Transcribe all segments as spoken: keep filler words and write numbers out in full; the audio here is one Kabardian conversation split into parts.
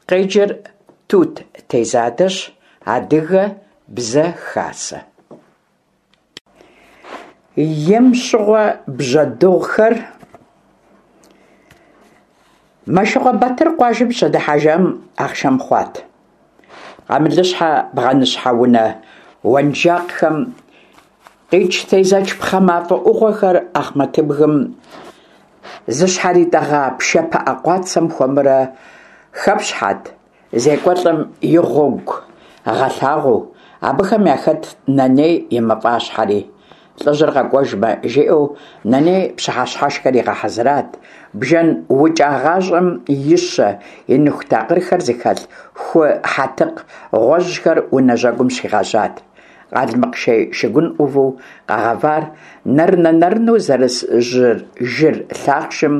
Къеджэр Тут Тезадэщ, Адыгэ Бзэ Хасэ. Ем щыгъуэ бжьэдыгъухэр Мэшыкъуэ Батыр къуажэм щыдыхьэжам ахъшэм хъуат. Къамылыщхьэ, бгъэныщхьэ унэ уэнжакъхэм къикӏ тезэч пхъэ мафӏэ ӏугъуэхэр Ахъмэтыбгым зыщхьэритӏэгъа пшэ пыӏэ къуацэм хуэмурэ хэпщхьэт, зекӏуэлӏым и гъуэгу гъэлъагъуэу. Абыхэм яхэтт Нэней и мафӏащхьэри. Лӏыжьыр къэкӏуэжмэ, жиӏэу Нэней пщыхьэщхьэшхэр игъэхьэзырат. Бжэн укӏагъащӏэм и щэ, и ныху такъырхэр зыхэлъ ху хьэтыкъ гъуэжьхэр унэ жьэгум щигъэжьат. Къалмыкъ шей шыгун ӏуву къэгъэвар, нэрынэ-нэрынэу зэрыс жыр лъахъшым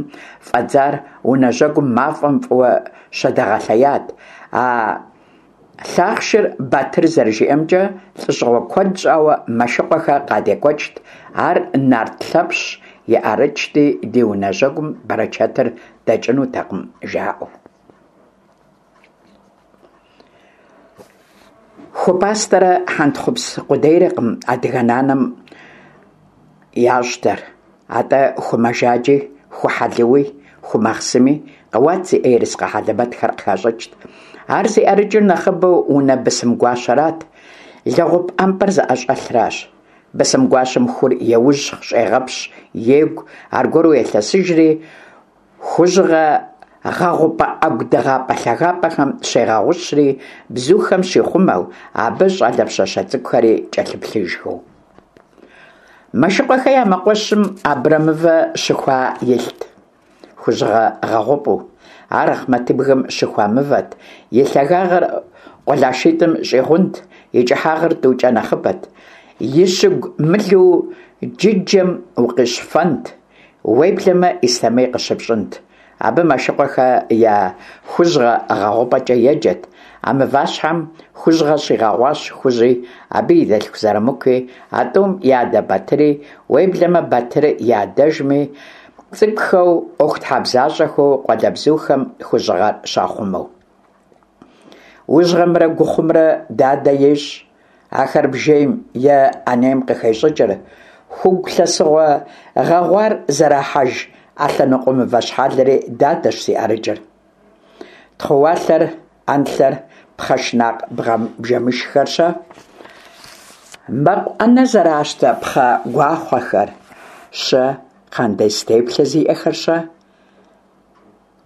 фӏэдзар унэ жьэгум мафӏэм фӏыуэ щыдэгъэлъеят. А лъахъшыр Батыр зэрыжиӏэмкӏэ, лӏыщӏыгъуэ куэд щӏауэ Мэшыкъуэхэ къадекӏуэкӏт, ар нарт Лъэпщ и ӏэрыкӏти, ди унэ жьэгум бэрычэтыр дэкӏынутэкъым, жаӏэу. Ху пӏастэрэ хьэнтхъупс къудейрэкъым адыгэ нанэм ящӏтэр, атӏэ ху мэжаджи, ху хьэлыуи, ху махъсыми, къэуат зиӏэ ерыскъы хьэлэмэтхэр къыхащӏыкӏт. Ар зи ӏэрыкӏыр нэхъыбэу унэ бысым гуащэрат, лэгъуп ӏэмпӏэр зыӏэщӏэлъращ. Бысым гуащэм хур еужь, щӏегъэпщ, егу, аргуэру елъэсыжри, хужьыгъэ гъэгъупӏэ ӏэгу дыгъапӏэ лъагапӏэхэм щегъэгъущри, бзухэм щихъумэу, абы щӏалэ пщащэ цӏыкӏухэри кӏэлъыплъыжхэу. Мэшыкъуэхэ я мэкъуэщым абрэмывэ щыхуа илът, хужьыгъэ гъэгъупӏэу. Ар Ахъмэтыбгым щыхуа мывэт, и лъагагъыр къулашитӏым щӏигъунт, и кӏыхьагъыр тӏукӏэ нэхъыбэт. И щыгу мылу джыджэм укъищфэнт, уеблэмэ ислъэмей къыщыпщӏынт. Абы Мэшыкъуэхэ я хужьыгъэ гъэгъупӏэкӏэ еджэт. А мыващхьэм хужьыгъэ щигъэгъуащ Хужьи, абы и дэлъху Зэрамыкуи, а тӏум я адэ Батыри, уеблэмэ Батыр и адэжми, цӏыкӏухэу, ӏуэхутхьэбзащӏэхэу къуалэбзухэм хужьыгъэр щахъумэу. Ужьгъэмрэ гухъумрэ дадэ ещӏ. Ахэр бжейм е ӏэнейм къыхещӏыкӏыр. Хугу лъэсыгъуэ гъэгъуар зэрахьэж ӏэлъэныкъуэ мывэ щхьэлри дадэщ зи ӏэрыкӏыр. Тхъууалъэр, ӏэнлъэр, пхъэ шынакъ бжэмышххэр-щэ? Мэкъу ӏэнэ зэращтэ пхъэ гуахъуэхэр щэ, кхъандез теплъэ зиӏэхэр-щэ?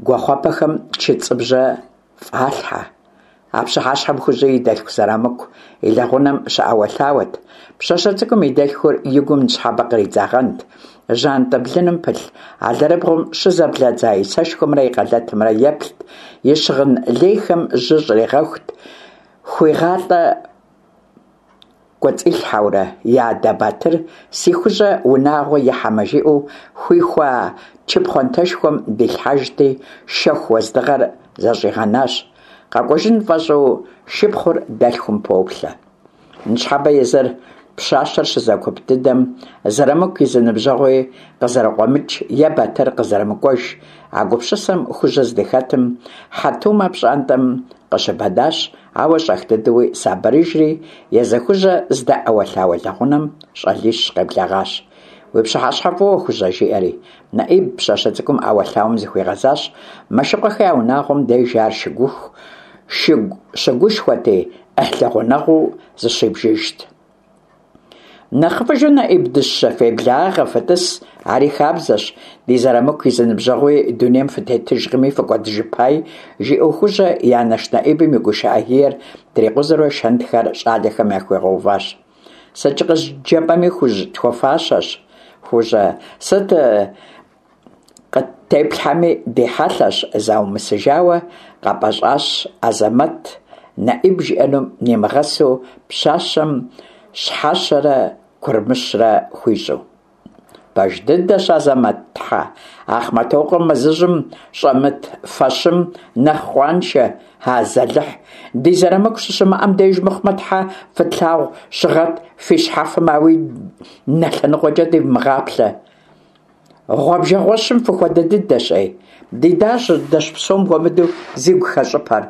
Гуахъуэпэхэм чыцӏыбжьэ фӏалъхьэ. А пщыхьэщхьэм Хужьи и дэлъху Зэрамыку и лэгъунэм щыӏэуэлъауэт. Пщащэ цӏыкӏум и дэлъхур и гум ныщхьэбэ къридзагъэнт. Жьантӏэ блыным пылъ алэрыбгъум щызэблэдза и сэшхуэмрэ и къэлэтымрэ еплът, и щыгъын лейхэм жьы щӏригъэхут, хуигъалӏэ кӏуэцӏилъхьэурэ, и адэ Батыр си Хужьэ унагъуэ ихьэмэ жиӏэу хуихуа чы пхъуантэшхуэм дилъхьэжти, шэху уэздыгъэр зэщӏигъэнащ. Къэкӏуэжын фӏэщӏу шыпхъур дэлъхум поплъэ. Ныщхьэбэ езыр пщащэр щызэгуп дыдэм Зэрамыку и зы ныбжьэгъуи къызэрыкъуэмыкӏ е Батыр къызэрымыкӏуэж. А гупсысэм Хужьэ здыхэтым, Хьэтумэ пщӏантӏэм къыщыбэнащ, ауэ щӏэх дыдэуи сабырыжри, езы Хужьэ здэӏэуэлъауэ лэгъунэм щӏалищ къеблэгъащ. Уи пщыхьэщхьэ фӏыуэ, Хужьэ, жиӏэри. Нэӏиб пщащэ цӏыкӏум ӏэуэлъауэм зыхуигъэзащ. Мэшыкъуэхэ я унагъуэм деж ар шыгуху, шыгу щыгушхуэти, ӏыхьлы гъунэгъуу зыщибжыжт. Нэхъыфӏыжу, Нэӏиб дыщэ, феблагъэ, фытӏыс, ари хабзэщ, ди Зэрамыку и зы ныбжьэгъуи дунейм фытетыжкъыми фыкӏуэдыжыпай, жиӏэу Хужьэ и анэш Нэӏибым и гушыӏэ гиер трикъузэурэ шэнтхэр щӏалэхэм яхуигъэуващ. Сыт къызджепӏэми, Хужь тхуэфащэщ, Хужьэ, сыт къыттеплъхьэми ди хьэлъэщ, заумысыжауэ къэпӏэщӏащ Азэмэт, Нэӏиб жиӏэнум нимыгъэсу пщащэм щхьэщэрэ курмыщрэ хуищӏу. Пэж дыдэщ, Азэмэт, тхьэ, Ахъмэтокъуэ мэзыжьым щӏэмыт фэщым нэхъ къуаншэ, азалыхь, ди Зэрамыку щыщымыӏэм деж мыхъумэ, тхьэ, фытлъагъуу щыгъэт, фи щхьэфэм ауи нэ лъэныкъуэкӏэ дивмыгъаплъэ. Гъуэбжэгъуэщым фыхуэдэ дыдэщ, ӏей. Ди дадэщ псом хуэмыдэу зигу хэщӏыпэр.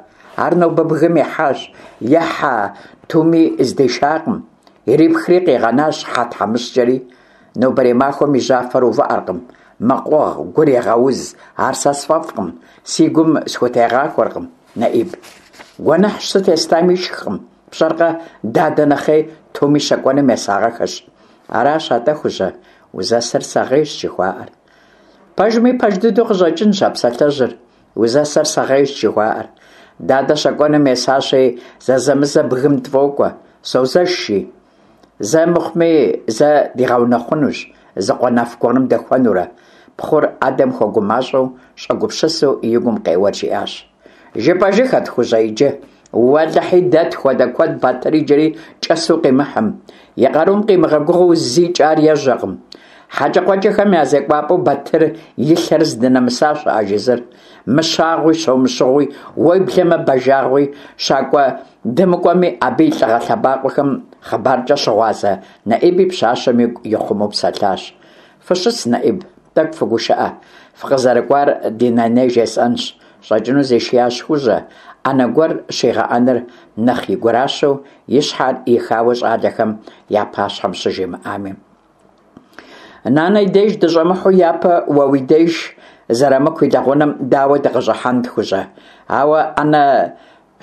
Ар нобэ бгым ихьащ, е хьэ туми здишакъым. Ирипхри къигъэнащ хьэ тхьэмыщкӏэри. Нобэрей махуэм и жьафэр увыӏэркъым, мэкъугъ, гур егъэуз. Ар сэ сфӏэфӏкъым, си гум схутегъахуэркъым, Нэӏиб. Гуэныхьщ, сыт естами ишхкъым. Пщӏэркъэ, дадэ нэхъей туми щэкӏуэным есагъэхэщ. Аращ атӏэ, Хужьэ, узэсэр сэгъейщ жыхуаӏэр. Пэжми, пэж дыдэу къыщӏэкӏынщ а псалъэжьыр, узэсэр сэгъейщ жыхуаӏэр. Дадэ щэкӏуэным есащи, зэзэмызэ бгым тфӏокӏуэ, созэш, жи. Зэ мыхъуми, зэ дигъэунэхъунущ, зы къуэнэф гуэрым дэхуэнурэ. Пхъур адэм хуэгумащӏэу, щӏэгупсысу и гум къеуэр жиӏащ. Жыпӏэжыххэт, Хужьэ, иджы. Уэлэхьи, дэ тхуэдэ куэд Батыр иджыри кӏэсу къимыхьым. И къарум къимыгъэгугъэу зикӏ ар ежьэкъым. Хьэкӏэкхъуэкӏэхэм я зекӏуапӏэу Батыр и лъэр здынэмыса щыӏэ жызыр. Мыщагъуи, щомыщыгъуи, уеблэмэ бажагъуи, щакӏуэ дымыкӏуэми, абы и лӏыгъэ лъэбакъуэхэм хъыбаркӏэ щыгъуазэ Нэӏиби пщащэм игу ихъумэу псэлъащ. Фыщыс, Нэӏиб, тӏэкӏу фыгушыӏэ. Фыкъызэрыкӏуар ди наней жесӏэнщ. Щӏэкӏыну зишиящ Хужьэ, ӏэнэ гуэр щигъэӏэныр нэхъ и гуращэу, и щхьэр ихауэ щӏалэхэм я пащхьэм щыжимыӏами. Нанэ и деж дыщӏэмыхьу япэ уэ уи деж Зэрамыку и лэгъунэм дауэ дыкъыщӏыхьэнт, Хужьэ? Ауэ ӏэнэ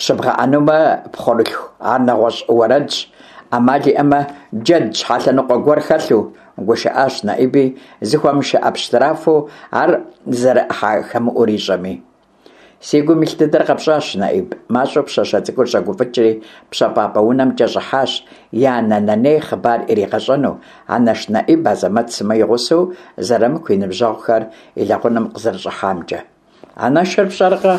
щыбгъэӏэнумэ, пхъурылъху, ар нэгъуэщӏ уэрэдщ. Ӏэмал иӏэмэ, джэд щхьэлъэныкъуэ гуэр хэлъу, гушыӏащ Нэӏиби, зыхуэмышыӏэ пщтырафэу ар зэрыӏыхьэхэмыӏур ищӏэми. Си гум илъ дыдэр къэпщӏащ, Нэӏиб. Мащӏэу пщащэ цӏыкӏур щӏэгуфӏыкӏри, пщэфӏапӏэ унэмкӏэ щӏыхьащ, и анэ Наней хъыбар иригъэщӏэну, анэш Нэӏиб Азэмэт сымэ и гъусэу Зэрамыку и ныбжьэгъухэр и лэгъунэм къызэрыщӏыхьамкӏэ. Анэшыр пщӏэркъэ,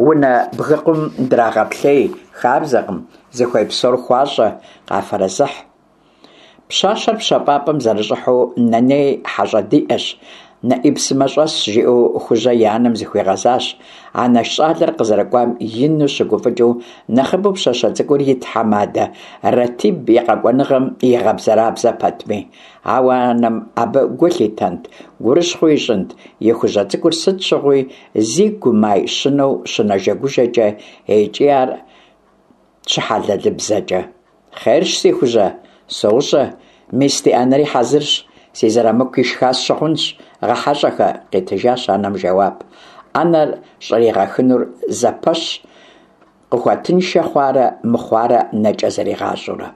унэ бгыкъум драгъэплъей хабзэкъым, зыхуей псор хуащӏэ, къафэрэзыхь. Пщащэр пщэфӏапӏэм зэрыщӏыхьэу Наней хьэщӏэ диӏэщ, Нэӏиб сымэ щӏэсщ, жиӏэу Хужьэ и анэм зыхуигъэзащ. Анэш щӏалэр къызэрыкӏуам ину щыгуфӏыкӏыу, нэхъыбэу пщащэ цӏыкӏур и тхьэмадэ Ратиб и къэкӏуэныгъэм игъэбзэрабзэ пэтми. Ауэ анэм абы гу лъитэнт, гурыщхъуи ищӏынт, и Хужьэ цӏыкӏур сыт щыгъуи зи гумай щынэу щынэжэгужэкӏэ икӏи ар щыхьэлэлыбзэкӏэ. Хъерщ, си Хужьэ, соущӏэ, мис ди ӏэнэри хьэзырщ, си Зэрамыку ишха сщыхъунщ, гъэхьэщӏэхэ, къитыжащ анэм жэуап. Ӏэнэр щӏригъэхынур зэпэщ къыхуэтыншэ хъуарэ мыхъуарэ нэкӏэ зэригъащӏэурэ.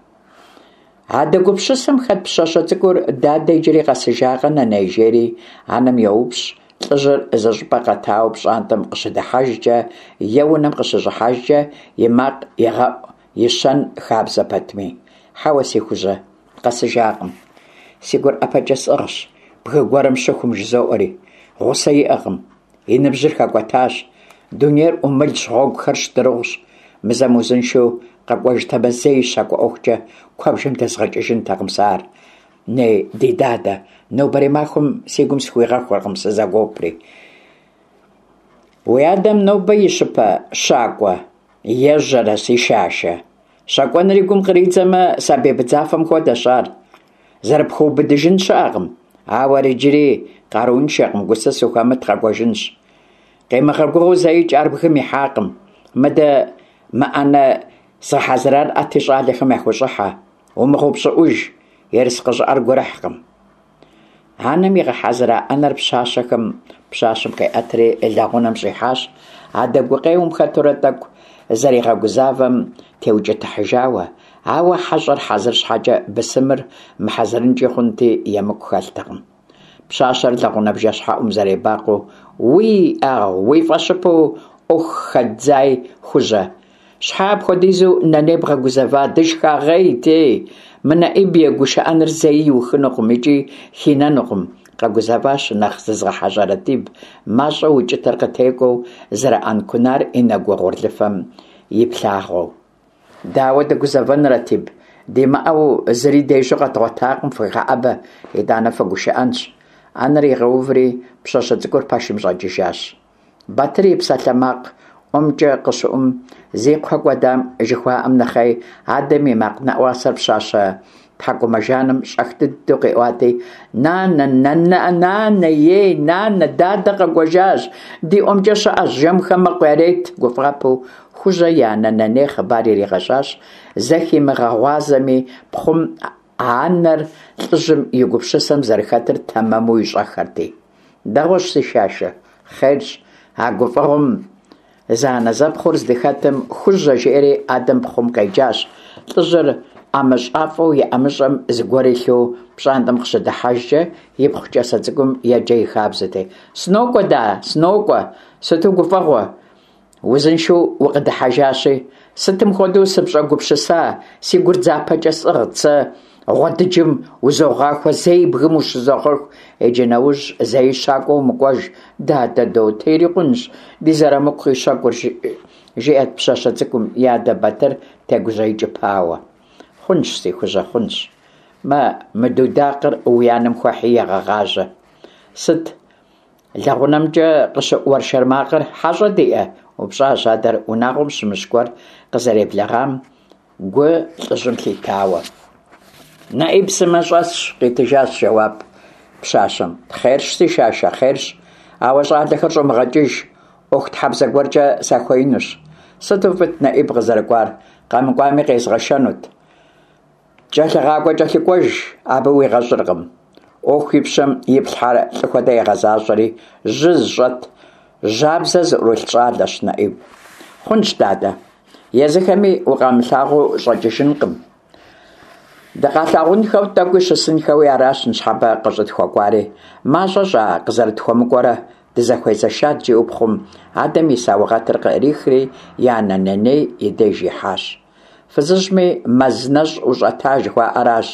Адэ гупсысэм хэт пщащэ цӏыкӏур дадэ иджыри къэсыжакъэ, наней, жери анэм йоупщӏ, лӏыжьыр зыщӏыпӏэ къэтауэ пщӏантӏэм къыщыдыхьэжкӏэ е унэм къыщыщӏыхьэжкӏэ и макъ игъэӏу и щэн хабзэ пэтми. Хьэуэ, си Хужьэ, къэсыжакъым. Си гур ӏэпэкӏэ сӏыгъщ, бгы гуэрым щыхум жызоӏэри. Гъусэ иӏэкъым, и ныбжьыр хэкӏуэтащ. Дунейр ӏумылщ, гъуэгухэр щтырыгъущ. Мызэм узыншэу къэкӏуэжтэмэ, зэи щакӏуэ ӏуэхукӏэ куэбжэм дэзгъэкӏыжынтэкъым сэ ар. Ней, ди дадэ, нобэрей махуэм си гум схуигъэхуэркъым, сызэгуопри. Уи адэм нобэ и щыпэ щакӏуэ ежьэрэ, си шашэ. Щакӏуэныр и гум къридзэмэ, сабий быдзафэм хуэдэщ ар. Зэрыпхуэубыдыжын щыӏэкъым. Ауэ ар иджыри къарууншэкъым, гусыс ухэмыт къэкӏуэжынщ. Къимыгъэгугъэу зэикӏ ар бгым ихьакъым. Мыдэ мы ӏэнэ згъэхьэзырар ӏэти щӏалэхэм яхущӏыхьэ. Умыгъэупщӏыӏуж, ерыскъы щӏыӏэр гурыхькъым. Анэм игъэхьэзыра ӏэнэр пщащэхэм пщащэм къиӏэтри лэгъунэм щӏихьащ. Адэ гукъеуэм хэтурэ тӏэкӏу зэригъэгузавэм теукӏытыхьыжауэ, ауэ хьэщӏэр хьэзыр щхьэкӏэ бысымыр мыхьэзырынкӏи хъунти, емыкӏу хэлътэкъым. Пщащэр лэгъунэ бжэщхьэӏум зэребакъуэу, уи ӏэгъу, уи фӏэщыпэу ӏуэху хэддзай, Хужьэ. Щхьэ апхуэдизу наней бгъэгузэва, дышхагъей, тей. Мы Нэӏиб и гушыӏэныр зэи иухынукъым икӏи хинэнукъым, къэгузэващ нэхъ зызгъэхьэщӏэ Ратиб, мащӏэу укӏытэр къытекӏуэу, зэрыӏэнкунар и нэгу угъурлыфэм иплъагъуэу. Дауэ дыгузэвэн, Ратиб, димыӏэу зыри дежьу къэдгъуэтакъым, фыхэӏэбэ, итӏанэ фыгушыӏэнщ. Ӏэнэр игъэуври, пщащэ цӏыкӏур пэшым щӏэкӏыжащ. Батыр и псалъэмакъ ӏуэмкӏэ къыщыӏум, зи кхъуэ кӏуэдам жыхуаӏэм нэхъей, адэм и макъ нэӏуасэр пщащэ Тхьэкӏумэжаным щӏэх дыдэу къиӏуати, «Нанэ, нанэ, ей, нанэ, дадэ къэкӏуэжащ, ди ӏуэмкӏэ щыӏэщ, жэмхэм мэкъу ярет», гуфӏапэу Хужьэ и анэ Нэней хъыбар иригъэщӏащ, зыхимыгъэгъуазэми, пхъум анэр лӏыжьым и гупсысэм зэрыхэтыр тэмэму ищӏэххэрти. «Дэгъуэщ, си шашэ, хъерщ, а гуфӏэгъуэм зэанэзэпхъур здыхэтым, Хужьэ жиӏэри адэм пхъум къеджащ. Лӏыжьыр ӏэмыщӏафӏэу и ӏэмыщӏэм зыгуэр илъу пщӏантӏэм къыщыдыхьэжкӏэ, ипхъу кӏасэ цӏыкӏум еджэ и хабзэти. «Сынокӏуэ, да, сынокӏуэ, сыту гуфӏэгъуэ, узыншэу укъыдыхьэжащи, сытым хуэдэу сыпщӏэгупсыса, си гур дзапэкӏэ сӏыгът, сэ гъуэдыджым узогъахуэ, зэи бгым ущызогъэху, иджы нэужь зэи щакӏуэ умыкӏуэж, дадэ дотэ ирикъунщ, ди зэрамыку къищэкӏур», жиӏэрт пщащэ цӏыкӏум и адэ Батыр тегужьеикӏыпауэ. «Хъунщ, си Хужьэ, хъунщ. Мэ, мы дудакъыр уи анэм хуэхьи егъэгъажьэ. Сыт лэгъунэмкӏэ къыщыӏу уэршэр макъыр, хьэщӏэ диӏэ?» упщӏащ адэр унагъуэм щымыщ гуэр къызэреблэгъам гу лӏыжьым лъитауэ. «Нэӏиб сымэ щӏэсщ», къитыжащ жэуап пщащэм. «Хъерщ, си шашэ, хъерщ, ауэ щӏалэхэр щӏумыгъэкӏыж, ӏуэхутхьэбзэ гуэркӏэ сахуеинущ. Сыту фӏыт Нэӏиб къызэрыкӏуар, къэмыкӏуами къезгъэшэнут. Кӏэлъыгъакӏуэ-кӏэлъыкӏуэж абы уигъэщӏыркъым. ӏуэху и пщэм иплъхьэр лӏы хуэдэ егъэзащӏэри, жьы зыщӏэт, жьабзэ зыӏурылъ щӏалэщ Нэӏиб. Хъунщ, дадэ, езыхэми укъамылъагъуу щӏэкӏыжынкъым. Дыкъалъагъунхэу тӏэкӏуи щысынхэуи аращ ныщхьэбэ къыщӏытхуэкӏуари. Мащӏэ щӏа къызэрытхуэмыкӏуэрэ, дызэхуезэшат, жиӏэу пхъум адэм и саугъэтыр къыӏрихри и анэ Нэней и деж ихьащ. Фызыжьми мэз нэщӏ ущӏэта жыхуаӏэращ,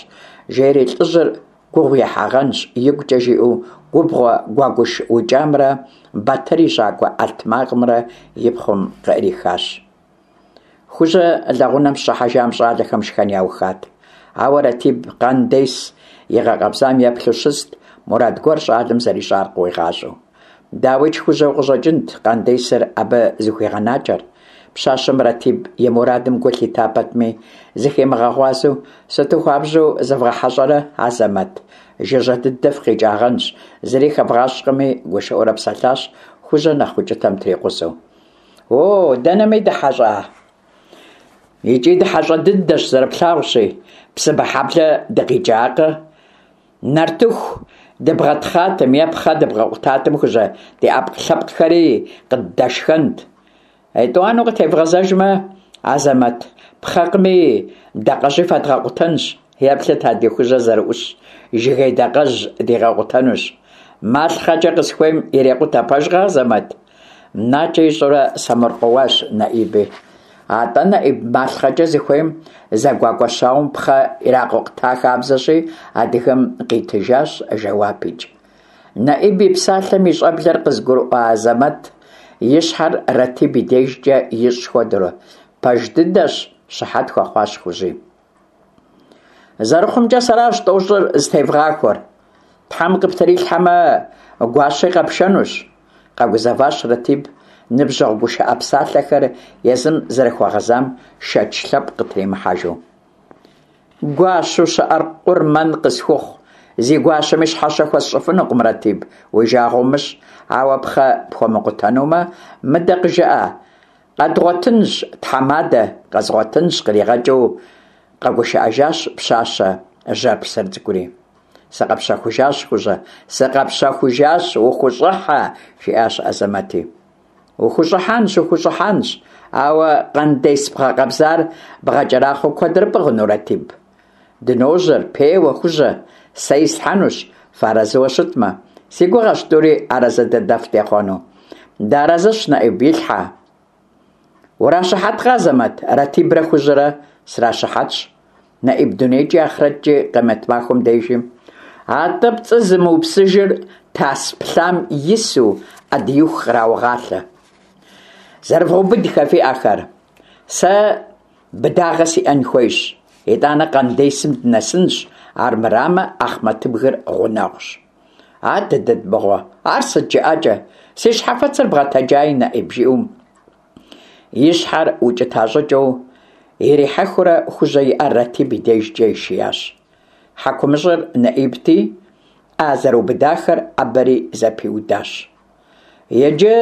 жери лӏыжьыр гугъу ехьагъэнщ, игукӏэ жиӏэу губгъуэ гуэгуш укӏамрэ Батыр и щӏакӏуэ ӏэлътмакъымрэ и пхъум къыӏрихащ. Хужьэ лэгъунэм щыхьэжам щӏалэхэм шхэн яухат. Ауэ Ратиб къандес игъэкъэбзам еплъу щыст, мурад гуэр щӏалэм зэрищӏар къыуигъащӏэу. Дауикӏ, Хужьэу къыщӏэкӏынт къандесыр абы зыхуигъэнакӏэр. Пщащэм Ратиб и мурадым гу лъита пэтми, зыхимыгъэгъуазэу, «Сыту хуабжьу зывгъэхьэщӏэрэ, Азэмэт, жыжьэ дыдэ фыкъикӏагъэнщ, зыри хэвгъащӏкъыми», гушыӏэурэ псэлъащ Хужьэ нэхъ укӏытэм трикъузэу. «О, дэнэми дыхьэщӏа? Икӏи дыхьэщӏэ дыдэщ, зэрыплъагъущи, Псыбэхьэблэ дыкъикӏакъэ? Нартыху дыбгъэтхъатэм е пхъэ дыбгъэкъутатэм, Хужьэ, ди ӏэпкълъэпкъхэри къыддэшхэнт. Етӏуанэу къытевгъэзэжмэ, Азэмэт, пхъэкъыми, дакъэжьи фэдгъэкъутэнщ. Еплъыт а ди Хужьэ зэрыӏущ, жыгей дакъэжь дигъэкъутэнущ. Малъхъэкӏэ къысхуейм ирекъутэ, пэжкъэ, Азэмэт?» Накӏэ ищӏурэ сэмэркъэуащ Нэӏиби. «Атӏэ, Нэӏиб, малъхъэкӏэ зыхуейм зэгуакӏуэ щауэм пхъэ иракъукъута хабзэщи, адыгэм къитыжащ жэуапикӏ. Нэӏиб и псалъэм и щӏэблэр къызыгурыӏуа Азэмэт и щхьэр Ратиб и дежкӏэ ищӏ хуэдэурэ, пэж дыдэщ, щыхьэт хуэхъуащ Хужьи. «Зэрыхъумкӏэ, сэращ тӏощӏыр зытевгъахуэр. Тхьэм къыптрилъхьэмэ, гуащи къэпшэнущ», къэгузэващ Ратиб, ныбжьэгъу гушыӏэ псалъэхэр езым зэрыхуэгъэзам шэч лъэпкъ къытримыхьэжу. «Гуащэу щыӏэр къурмэн къысхухъу, зи гуащэми щхьэщэ хуэсщӏыфынукъым, Ратиб, уи жагъуэ умыщӏ, ауэ пхъэ пхуэмыкъутэнумэ, мыдэ къыжыӏэ, къэдгъуэтынщ, тхьэмадэ, къэзгъуэтынщ», къригъэкӏыу къэгушыӏэжащ пщащэ жьэрпсэр цӏыкӏури. «Сыкъэпщэхужащ, Хужьэ, сыкъэпщэхужащ, ухущӏыхьэ», жиӏащ Азэмэти. «Ухущӏыхьэнщ, ухущӏыхьэнщ, ауэ къандес бгъэкъэбзар бгъэкӏэрахъуэу куэдрэ пӏыгъыну, Ратиб? Дыножьэр, пеуэ, Хужьэ, сэ ислъхьэнущ, фыарэзыуэ щытмэ. Си гугъэщ тӏури арэзы дыдэ фытехъуэну». «Дыарэзыщ, Нэӏиб, илъхьэ». «Уращыхьэткъэ, Азэмэт, Ратибрэ Хужьэрэ?» «Сращыхьэтщ, Нэӏиб дунейкӏи ахърэткӏи къемэт махуэм дежи. Атӏэ пцӏы зымыупсыжыр тас плъам ису ӏэдииху къраугъалъэ. Зэрывгъэубыдхэ фи ӏэхэр. Сэ быдагъэ сиӏэн хуейщ. Итӏанэ къандесым дынэсынщ, армырамэ Ахъмэтыбгыр гъунэгъущ». «Адыдыд мыгъуэ, ар сыт жыӏэкӏэ? Си щхьэфэцыр бгъэтэджаи, Нэӏиб», жиӏэу и щхьэр укӏыта щӏыкӏэу ирихьэхыурэ Хужьэ и ӏэр Ратиб и дежкӏэ ишиящ. Хьэкумыщӏыр Нэӏибти, ӏэ зэрыубыдахэр ӏэбэри зэпиудащ. Иджы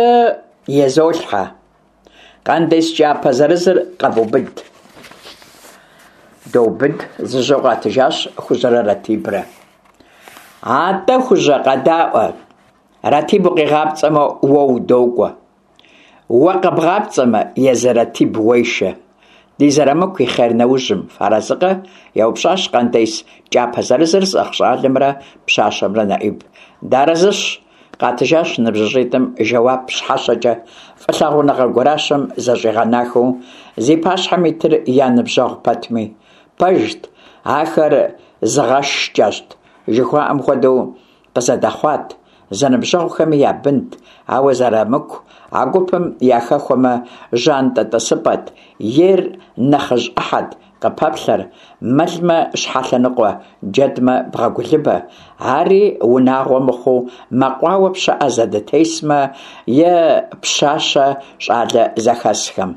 изолъхьэ. Къандес кӏапэ зырызыр къэвубыд. Доубыд, зыжьэу къатыжащ Хужьэрэ Ратибрэ. Атӏэ, Хужьэ, къэдаӏуэ. Ратиб укъигъапцӏэмэ, уэ удокӏуэ. Уэ къэбгъапцӏэмэ, езы Ратиб уешэ. Ди Зэрамыку и хъер нэужьым, фарэзыкъэ? еупщӏащ къандес кӏапэ зырызыр зыӏыгъ щӏалэмрэ пщащэмрэ Нэӏиб. Дыарэзыщ, къатыжащ ныбжьыщӏитӏым жэуап щхьэщэкӏэ, фӏылъагъуныгъэ гуращэм зэщӏигъэнахэу, зи пащхьэм итыр я ныбжьэгъу пэтми. Пэжт, ахэр зыгъэшкӏэщт жыхуаӏэм хуэдэу къызэдэхъуат, зэныбжьэгъухэми я бынт, ауэ Зэрамыку а гупым яхэхуэмэ, жьантӏэ тӏысыпӏэт, ейр нэхъыжь ӏыхьэт къыпэплъэр, мэлмэ щхьэлъэныкъуэ, джэдмэ бгъэгулыбэ. Ари унагъуэ мыхъуу, мэкъуауэ пщыӏэ зэдытесмэ е пщащэ щӏалэ зэхэсхэм.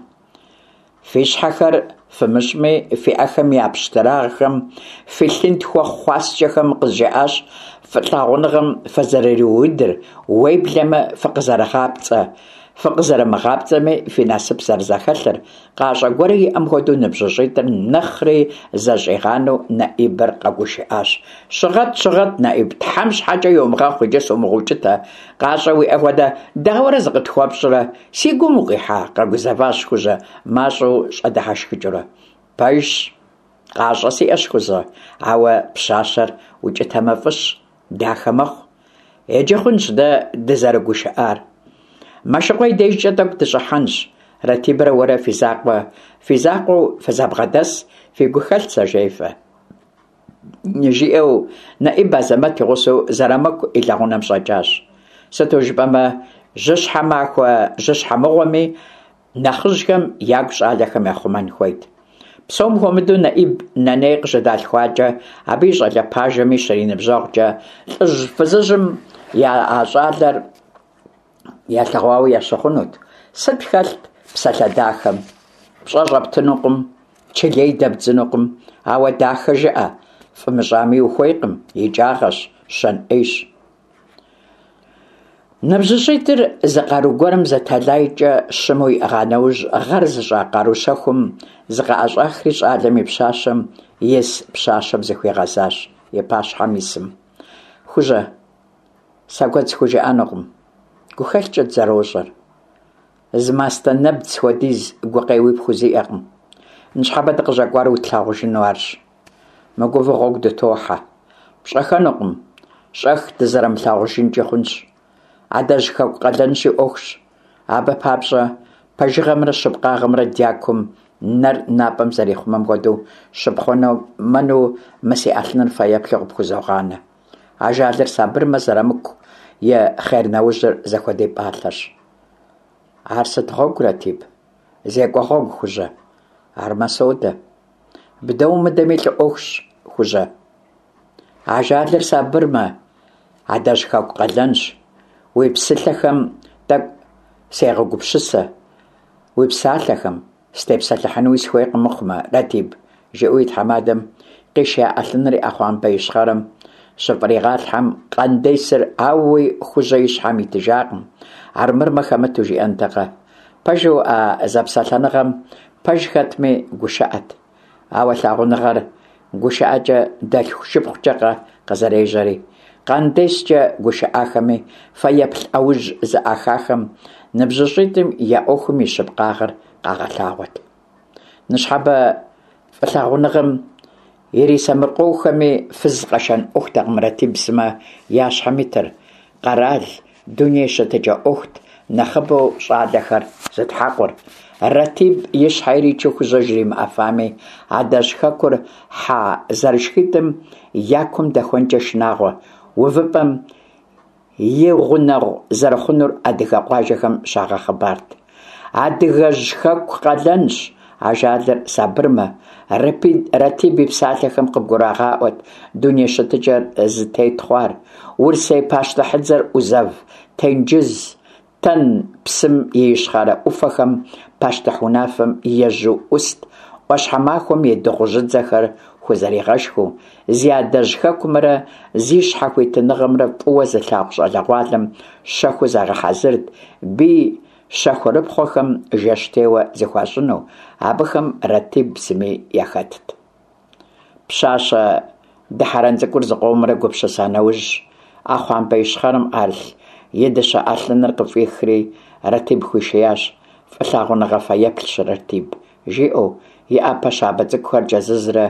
Фи щхьэхэр фымыщӏми, фи ӏэхэм я пщтырагъхэм, фи лъынтхуэ хъуаскӏэхэм къызжаӏащ фӏылъагъуныгъэм фызэрыриудыр, уеблэмэ фыкъызэрыгъапцӏэ, фыкъызэрымыгъапцӏэми фи насып зэрызэхэлъыр, къащӏэ гуэрэ иӏэм хуэдэу ныбжьыщӏитӏыр нэхъри зэщӏигъанэу Нэӏибыр къэгушыӏащ. Щыгъэт, щыгъэт, Нэӏиб, Тхьэм щхьэкӏэ йомыгъэхъу, иджы сумыгъэукӏытэ. Къащӏэ уиӏэ хуэдэ, дауэрэ зыкъытхуэпщӏрэ? Си гум укъихьа? Къэгузэващ Хужьэ, мащӏэу щӏэдыхьэшхыкӏыурэ. Пэжщ, къащӏэ сиӏэщ, Хужьэ, ауэ пщащэр укӏытэмэ фӏыщ, дахэ мэхъу. Иджы хъунщ дэ дызэрыгушыӏар. Мэшыкъуэ и дежкӏэ тӏэкӏу дыщӏыхьэнщ. Ратибрэ уэрэ фи закъуэ, фи закъуэу фызэбгъэдэс, фи гухэлъ зэжефӏэ. Жиӏэу Нэӏиб Азэмэт и гъусэу Зэрамыку и лэгъунэм щӏэкӏащ. Сыту жыпӏэмэ, жьыщхьэ махуэ жьыщхьэ мыгъуэми, нэхъыжьхэм ягу щӏалэхэм яхъумэн хуейт. Псом хуэмыдэу Нэӏиб нэней къыщыдалъхуакӏэ, абы и щӏалэ пажэми щриныбжьэгъукӏэ, лӏыжь-фызыжьым я а щӏалэр ялъэгъуауэ ящыхъунут. Сыт хэлът псалъэ дахэм? Пщӏэ щӏэптынукъым, чылей дэбдзынукъым, ауэ дахэ жыӏэ, фӏы мыщӏами ухуейкъым, икӏагъэщ, щэн ӏейщ. Ныбжьыщӏитӏыр зы къару гуэрым зэтэлайкӏэ щыму иӏыгъа нэужь, гъэр зыщӏа къару щэхум зыкъыӏэщӏахри щӏалэм и пщащэм ис пщащэм зыхуигъэзащ и пащхьэм исым. Хужьэ, сэ куэд схужыӏэнукъым. Гухэлъкӏэ дызэрощӏэр. Зы мастэ нэбдз хуэдиз гукъеуи пхузиӏэкъым. Ныщхьэбэ дыкъыщӏэкӏуар утлъагъужыну арщ. Мыгувэу гъуэгу дытохьэ. Пщӏэхэнукъым, щӏэх дызэрымылъагъужынкӏи хъунщ. Адэжь хэку къалэнщи ӏуэхущ. Абы папщӏэ пэжыгъэмрэ щыпкъагъэмрэ дякум нэр напӏэм зэрихъумэм хуэдэу щыпхъумэну мы си ӏэлъыныр фэеплъу къыпхузогъанэ. Ажалыр сабырмэ, Зэрамыку и хъер нэужьыр зэхуэдэ пӏалъэщ. Ар сыт гъуэгу, Ратиб? Зекӏуэ гъуэгу, Хужьэ. Армэ содэ. Бдэ умыдэми лӏы ӏуэхущ, Хужьэ. Ажалыр сабырмэ, адэжь хэку къалэнщ. Уи псалъэхэм тӏэкӏу сегъэгупсысэ. Уи псалъэхэм сытепсэлъыхьынуи сыхуейкъым мыхъумэ, Ратиб, жиӏэу и тхьэмадэм къишия ӏэлъыныр и ӏэхъуамбэ ищхъэрэм щыфӏригъалъхьэм, къандесыр ауи Хужьэ и щхьэм итыжакъым, армырмэ хэмыту жиӏэнтэкъэ. Пэжу а зэпсэлъэныгъэм пэж хэтми гушыӏэт. Ауэ лъагъуныгъэр гушыӏэкӏэ дэлъху-шыпхъукӏэкъэ къызэрежьэри. Къандескӏэ гушыӏахэми, фэеплъ ӏэужь зыӏахахэм ныбжьыщӏитӏым я ӏуэхум и щыпкъагъэр къагъэлъагъуэт. Ныщхьэбэ фӏылъагъуныгъэм ирисэмыркъоухэми, фыз къэшэн ӏуэхутэкъым Ратиб сымэ я щхьэм итыр, къэрал, дуней щытыкӏэ ӏуэхут нэхъыбэу щӏалэхэр зытхьэкъур. Ратиб и щхьэ иричу Хужьэ жримыӏэфами, адэжь хэкур хьэ зэрышхитӏым я кум дэхуэнкӏэ шынагъуэ увыпӏэм и гъунэгъу зэрыхъунур адыгэ къуажэхэм щагъэхъыбарт. Адыгэжь хэку къалэнщ, ажалыр сабырмэ, Ратиб и псалъэхэм къыбгурагъаӏуэт дуней щытыкӏэр зытет хъуар. Урысей пащтыхьыдзэр ӏузэв, тенджыз, Тэн псым и ищхъэрэ ӏуфэхэм пащтыхь унафэм ежьу ӏуст, ӏуащхьэмахуэм и дыгъужьыдзэхэр хузэригъэшхыу, зи адэжь хэкумрэ зи щхьэхуитыныгъэмрэ фӏыуэ зылъагъу щӏалэгъуалэм щэхуу загъэхьэзырт бий щэхурыпхъуэхэм жэщтеуэ зыхуащӏыну, абыхэм Ратиб сыми яхэтт. Пщащэ дыхьэрэн цӏыкӏур зыкъомрэ гупсыса нэужь, ӏэхъуамбэ ищхъэрэм ӏэрылъ и дыщэ ӏэлъыныр къыфӏихри, Ратиб хуишиящ. «Фӏылъагъуныгъэ фэеплъщ, Ратиб», жиӏэу, и ӏэпэ щабэ цӏыкӏухэр кӏэзызрэ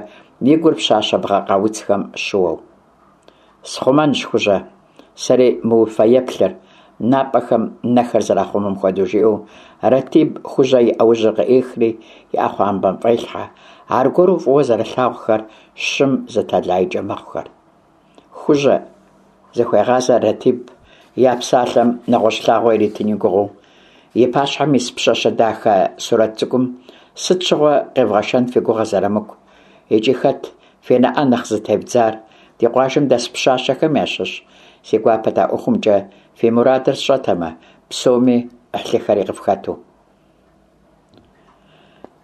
и гур пщащэ бгъэ къауцхэм щыуэу. «Схъумэнщ, Хужьэ, сэри мы уи фэеплъыр, напӏэхэм нэхэр зэрахъумэм хуэдэу», жиӏэу Ратиб Хужьэ и ӏэужьыр къыӏехри и ӏэхъуамбэм фӏелъхьэ. Аргуэру фӏыуэ зэрылъагъухэр щым зы тэлайкӏэ мэхъухэр. Хужьэ зыхуегъазэ Ратиб я псалъэм нэгъуэщӏ лъагъуэ иритын и гугъэу. И пащхьэм ис пщащэ дахэ сурэт цӏыкӏум сыт щыгъуэ къевгъэшэн фи гугъэ Зэрамыку? Икӏи хэт фи нэӏэ нэхъ зытевдзар? Ди къуажэм дэс пщащэхэм ящыщ? Си гуапэт а ӏуэхумкӏэ фи мурадыр сщӏэтэмэ, псоми ӏыхьлыхэри къыфхэту.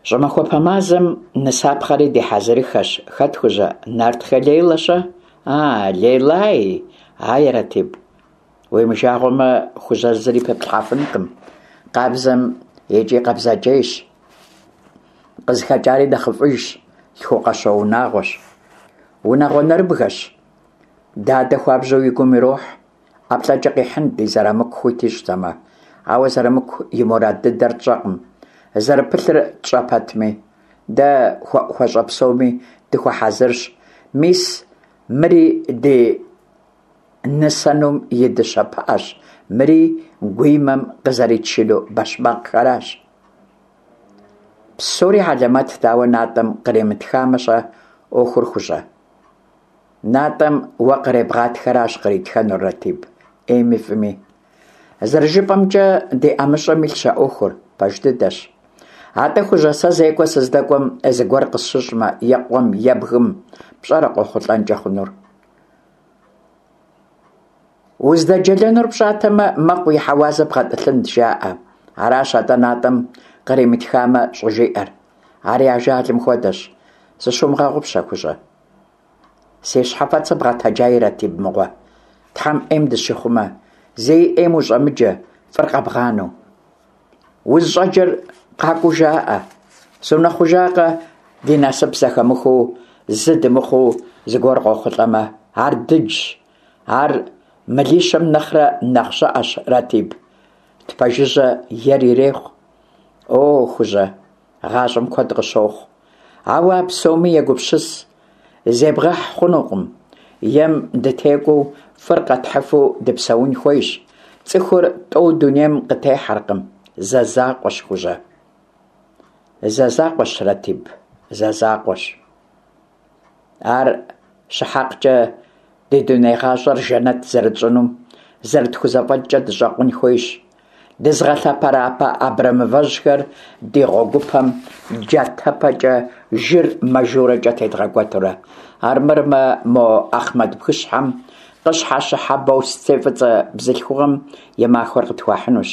Щӏымахуэпэ мазэм нысапхъэри ди хьэзырыхэщ. Хэт, Хужьэ? Нартхэ Лейлэ-щэ? А, Лейлай! Ай, Ратиб, уимыжагъуэмэ, Хужьэ зыри пыплъхьэфынкъым. Къабзэм икӏи къабзэкӏейщ. Къызыхэкӏари нэхъыфӏыжщ, лъхукъуэщо унагъуэщ. Унагъуэ нэрыбгэщ. Дадэ хуабжьу и гум ирохь. ӏэплӏэкӏэ къихьынт ди Зэрамыку хуит ищӏтэмэ. Ауэ Зэрамыку и мурад дыдэр тщӏэкъым. Зэрыпылъыр тщӏэ пэтми. Дэ хуэӏухуэщӏэ псоми дыхуэхьэзырщ. Мис мыри ди нысэнум и дыщэ пыӏэщ, мыри гуимэм къызэритшыну бэшмакъхэращ. Псори хьэлэмэтт, ауэ натӏэм къримытхамэ-щэ ӏуэхур, Хужьэ? Натӏэм уэ къребгъатхэращ къритхэнур, Ратиб, ӏейми фӏыми. Зэрыжыпӏэмкӏэ, ди ӏэмыщӏэм илъщ а ӏуэхур, пэж дыдэщ. Атӏэ, Хужьэ, сэ зекӏуэ сыздэкӏуэм зыгуэр къысщыщӏмэ, е къуэм, е бгым, пщӏэрэ къохъулӏэнкӏэ хъунур? Уздэджэлэнур пщӏатэмэ, мэкъу и хьэуазэ бгъэтӏылъынт, жаӏэ. Аращ атӏэ натӏэм къримытхамэ щӏыжиӏэр. Ари ажалым хуэдэщ. Зыщумыгъэгъупщэ, Хужьэ. Си щхьэфэцыр бгъэтэджаи, Ратиб мыгъуэ. Тхьэм ӏейм дыщихъумэ. Зэи ӏейм ущӏэмыджэ, фӏыр къэбгъанэу. Узыщӏэджэр къакӏуэу жаӏэ. Сунэхъужакъэ, ди насып зэхэмыхуу, зы дымыхъуу зыгуэр къохъулӏэмэ, ар дыджщ. Ар мылищэм нэхърэ нэхъ щыӏэщ, Ратиб. Тпэжыжьэ ер ирехъу. О, Хужьэ, гъащӏэм куэд къыщохъу. Ауэ а псоми егупсыс. Зебгъэхь хъунукъым. Ем дытекӏуэу, фӏыр къэтхьыфу дыпсэун хуейщ. Цӏыхур тӏэу дунейм къытехьэркъым. Зэ закъуэщ, Хужьэ. Зэ закъуэщ, Ратиб, зэ закъуэщ. Ар щыхьэкъкӏэ ди дуней гъащӏэр жэнэт зэрытщӏынум зэрытхузэфӏэкӏкӏэ дыщӏэкъун хуейщ. Дызыгъэлъэпэрапэ абрэмывэжьхэр ди гъуэгупэм джатэпэкӏэ жыр мажурэкӏэ тедгъэкӏуэтурэ. Армырмэ, мо Ахъмэт бгыщхьэм къыщхьэщыхьэ бостей фӏыцӏэ бзылъхугъэм и махуэр къытхуахьынущ.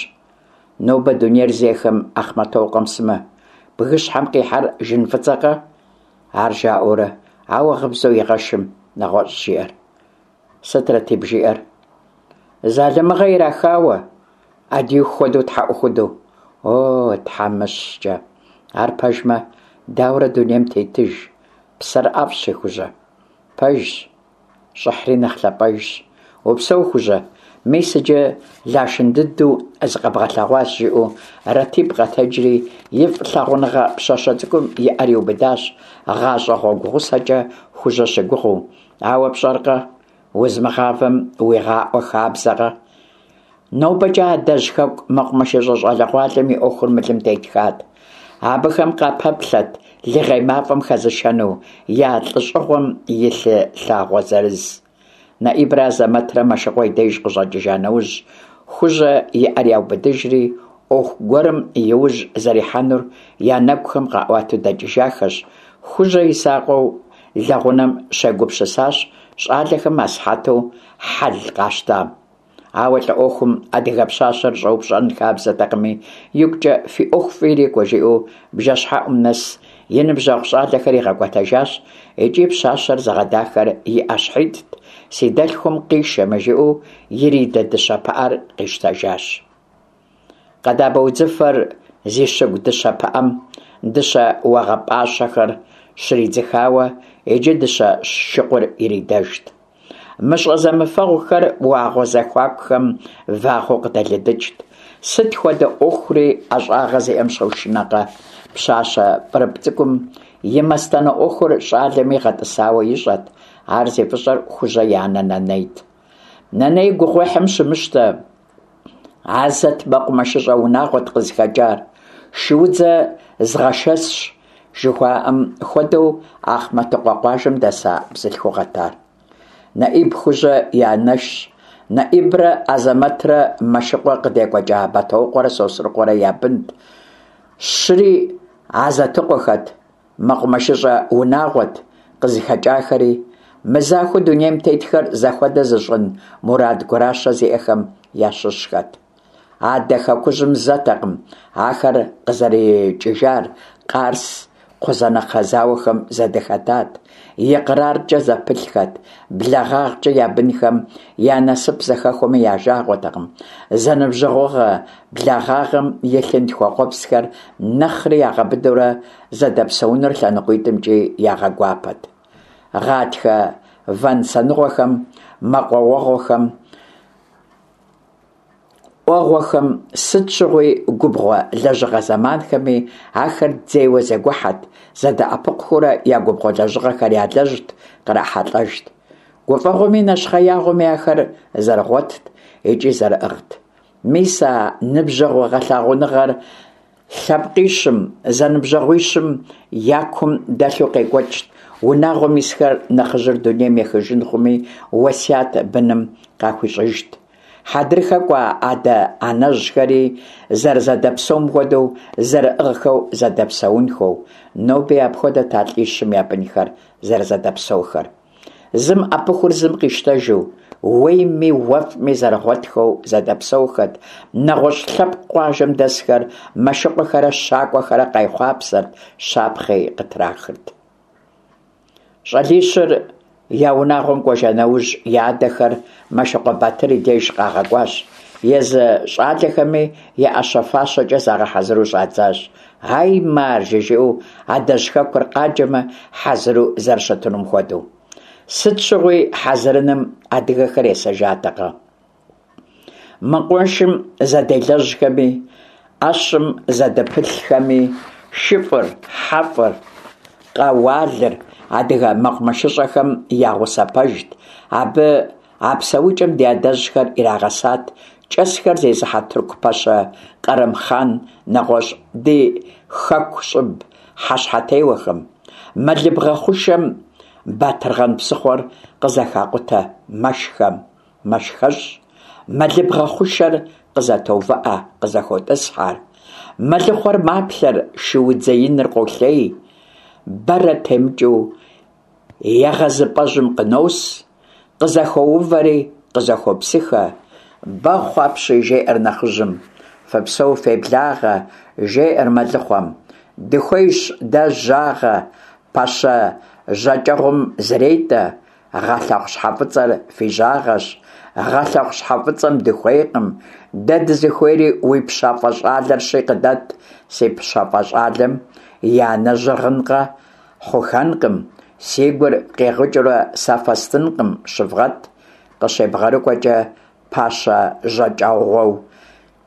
Нобэ дунейр зехэм Ахъмэтокъуэм сымэ. Бгыщхьэм къихьэр жын фӏыцӏэкъэ? Ар жаӏэурэ, ауэ гъыбзэу игъэшым нэгъуэщӏ жиӏэр. Сыт Ратиб жиӏэр? Залымыгъэ ирахауэ, ӏэдииху хуэдэу тхьэӏухуду. О, тхьэмыщкӏэ! Ар пэжмэ, дауэрэ дунейм тетыж? Псэр ӏэфӏщ, Хужьэ. Пэжщ, щӏыхьри нэхъ лъапӏэжщ. Упсэу, Хужьэ, мис иджы Лашын дыдэу зыкъэбгъэлъэгъуащ, жиӏэу Ратиб къэтэджри и фӏылъагъуныгъэ пщащэ цӏыкӏум и ӏэр иубыдащ, гъащӏэ гъуэгу гъусэкӏэ Хужьэ щыгугъыу. Ауэ пщӏэркъэ, узымыгъавэм уигъаӏуэ хабзэкъэ? Нобэкӏэ адэжь хэку мэкъумэшыщӏэ щӏалэгъуалэм и ӏуэхур мылым тетхат. Абыхэм къапэплъэт лыгъей мафӏэм хэзышэну я лӏыщӏыгъуэм и лъы лъагъуэ зырыз. Нэӏибрэ Азэмэтрэ Мэшыкъуэ и деж къыщӏэкӏыжа нэужь, Хужьэ и ӏэр яубыдыжри, ӏуэху гуэрым и ужь зэрихьэнур я нэгухэм къаӏуатэу дэкӏыжахэщ. Хужьэ и закъуэу лэгъунэм щегупсысащ щӏалэхэм асыхьэту хьэл къащтам. Ауэ лӏы ӏуэхум адыгэ пщащэр щӏэупщӏэн хабзэтэкъыми, игукӏэ фи ӏуэху фӏы ирикӏуэ жиӏэу бжэщхьэӏум нэс и ныбжьэгъу щӏалэхэр игъэкӏуэтэжащ икӏи пщащэр зыгъэдахэр и ӏэщхьитӏт, си дэлъхум къишэмэ жиӏэу иридэ дыщэ пыӏэр къищтэжащ. Къэдабэ удзыфэр зи щыгу дыщэ пыӏэм дыщэ уэгъэпӏащэхэр щридзыхауэ, иджы дыщэ шыкъур иридэжт. Мыщӏэ зэмыфэгъухэр уагъуэ зэхуакухэм вагъуэу къыдэлыдыкӏт. Сыт хуэдэ ӏуэхури ӏэщӏагъэ зиӏэм щошынэкъэ? Пщащэ пӏырыпӏ цӏыкӏум и мастэнэ ӏуэхур щӏалэми гъэтӏысауэ ищӏэт. Ар зи фӏыщӏэр Хужьэ и анэ Нэнейт. Нэней гугъуехьым щымыщтэ, Азэт мэкъумэшыщӏэ унагъуэт къызыхэкӏар. Шуудзэ згъэшэсщ жыхуаӏэм хуэдэу Ахъмэтыкъуэ къуажэм дэса бзылъхугъэт ар. Нэӏиб Хужьэ и анэшщ. Нэӏибрэ Азэмэтрэ Мэшыкъуэ къыдекӏуэкӏа Бэтокъуэрэ Сосрыкъуэрэ я бынт. Щыри Азэтыкъуэхэт, мэкъумэшыщӏэ унагъуэт къызыхэкӏахэри, мызахуэу дунейм тетхэр зэхуэдэ зыщӏын мурад гуращэ зиӏэхэм ящыщхэт. Адэ хэкужьым зэтэкъым ахэр къызэрикӏыжар, Къарс, Кхъузанэкхъэ зауэхэм зэдыхэтат, икъраркӏэ зэпылъхэт, благъагъкӏэ я бынхэм я насып зэхэхуэми я жагъуэтэкъым, зэныбжьэгъугъэ благъагъэм и лъынтхуэ къуэпсхэр нэхъри ягъэбыдэурэ зэдэпсэуныр лъэныкъуитӏымкӏи ягъэгуапэт. Гъатхэ вэнсэныгъуэхэм, мэкъуауэгъуэхэм, ӏуэгъуэхэм, сыт щыгъуи губгъуэ лэжьыгъэ зэманхэми ахэр дзейуэ зэгухьэт, зэдэӏэпыкъухыурэ я губгъуэ лэжьыгъэхэр ялэжьт, кърахьэлӏэжт. Гуфӏэгъуэми нэщхъеягъуэми ахэр зэрыгъуэтт икӏи зэрыӏыгът. Мис а ныбжьэгъугъэ лъагъуныгъэр лъэпкъищым, зэныбжьэгъуищым я кум дэлъу къекӏуэкӏт. Унагъуэм исхэр нэхъыжьыр дунейм ехыжын хъуми, уэсят быным къахуищӏыжт. Хьэдрыхэ кӏуа адэ-анэжьхэри зэрызэдэпсэум хуэдэу зэрыӏыгъхэу зэдэпсэунхэу. Ноби апхуэдэт а лӏищым я бынхэр зэрызэдэпсэухэр. Зым ӏэпыхур зым къищтэжу, уейми уэфӏми зэрыгъуэтхэу зэдэпсэухэт. Нэгъуэщӏ лъэпкъ къуажэм дэсхэр Мэшыкъуэхэрэ Щакӏуэхэрэ къайхъуапсэрт, щапхъи къытрахырт. Щӏалищыр я унагъуэм кӏуэжа нэужь, я адэхэр Мэшыкъуэ Батыр и деж къагъэкӏуащ. Езы щӏалэхэми я ӏэщэ-фащэкӏэ загъэхьэзыру щӏадзащ. Ай, маржэ, жиӏэу адэжь хэкур къаджэмэ, хьэзыру зэрыщытынум хуэдэу. Сыт щыгъуи хьэзырыным адыгэхэр есэжатэкъэ? Мэкъумэшым зэделэжьхэми, ӏэщым зэдыпылъхэми, шыфӏыр, хьэфӏыр, къэуалыр адыгэ мэкъумэшыщӏэхэм я гъусэ пэжт. Абы а псэукӏэм ди адэжьхэр ирагъэсат кӏэсхэр зезыхьэ тырку пэщэ Кърым-хъан, нэгъуэщӏ ди хэку щӏыб хьэщхьэтеуэхэм. Мэлыбгъэ хъушэм Батыргъэн псыхъуэр къызэхакъутэ мэшхэм, мэшхэщӏ. Мэлыбгъэ хъушэр къызэтоувыӏэ, къызэхотӏысхьэр. Мэлыхъуэр маплъэр, шуудзэ иныр къолъей. Бэрэ темыкӏыу егъэзыпӏэжьым къынос, къызэхоувэри къызэхопсыхэ. Бэхъу апщий, жеӏэр нэхъыжьым. Фыпсэу, феблагъэ, жеӏэр мэлыхъуэм. Дыхуейщ дэ жьагъэ, пэщэ жьакӏэгъум зретӏэ. Гъэлъэхъу щхьэ фӏыцӏэр фи жьагъэщ. Гъэлъэхъу щхьэ фӏыцӏэм дыхуейкъым. Дэ дызыхуейри уи пщафӏэ щӏалэрщи къыдэт. Си пщафӏэ щӏалэм и анэжьыр гъынкъэ, хъухэнкъым. Си гур къигъыкӏыурэ сэ фэстынкъым, щывгъэт. Къыщебгъэрыкӏуэкӏэ пащэ жьакӏэгъуэу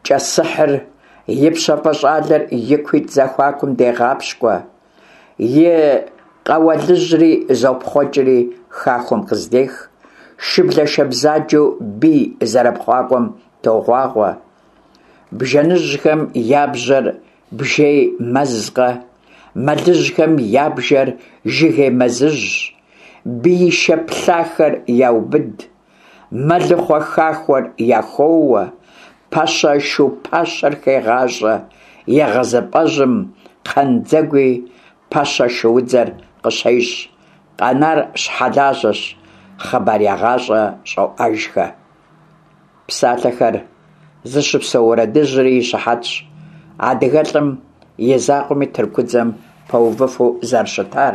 кӏэсыхьыр и пщафӏэ щӏалэр и куитӏ зэхуакум дегъапщкӏуэ. И къэуалыжьри зопхъуэкӏри хахуэм къыздех. Шыблэшэ бзаджэу бий зэрыпхъуакӏуэм тогъуагъуэ. Бжэныжьхэм я бжьэр бжей мэзкъэ, мэлыжьхэм я бжэр жыгей мэзыжьщ. Биишэ плъахэр яубыд, мэлыхъуэ хахуэр яхоуэ, пэщэ шу пащэр хегъащӏэ, егъэзыпӏэжьым кхъандзэгуи пэщэ шуудзэр къыщещӏ. Къэнар щхьэлажьэщ, хъыбар ягъащӏэ щӏоӏэжхэ. Псалъэхэр зыщыпсэу уэрэдыжьри и щыхьэтщ адыгэлӏым и закъуэми тыркудзэм пэувыфу зэрыщытар.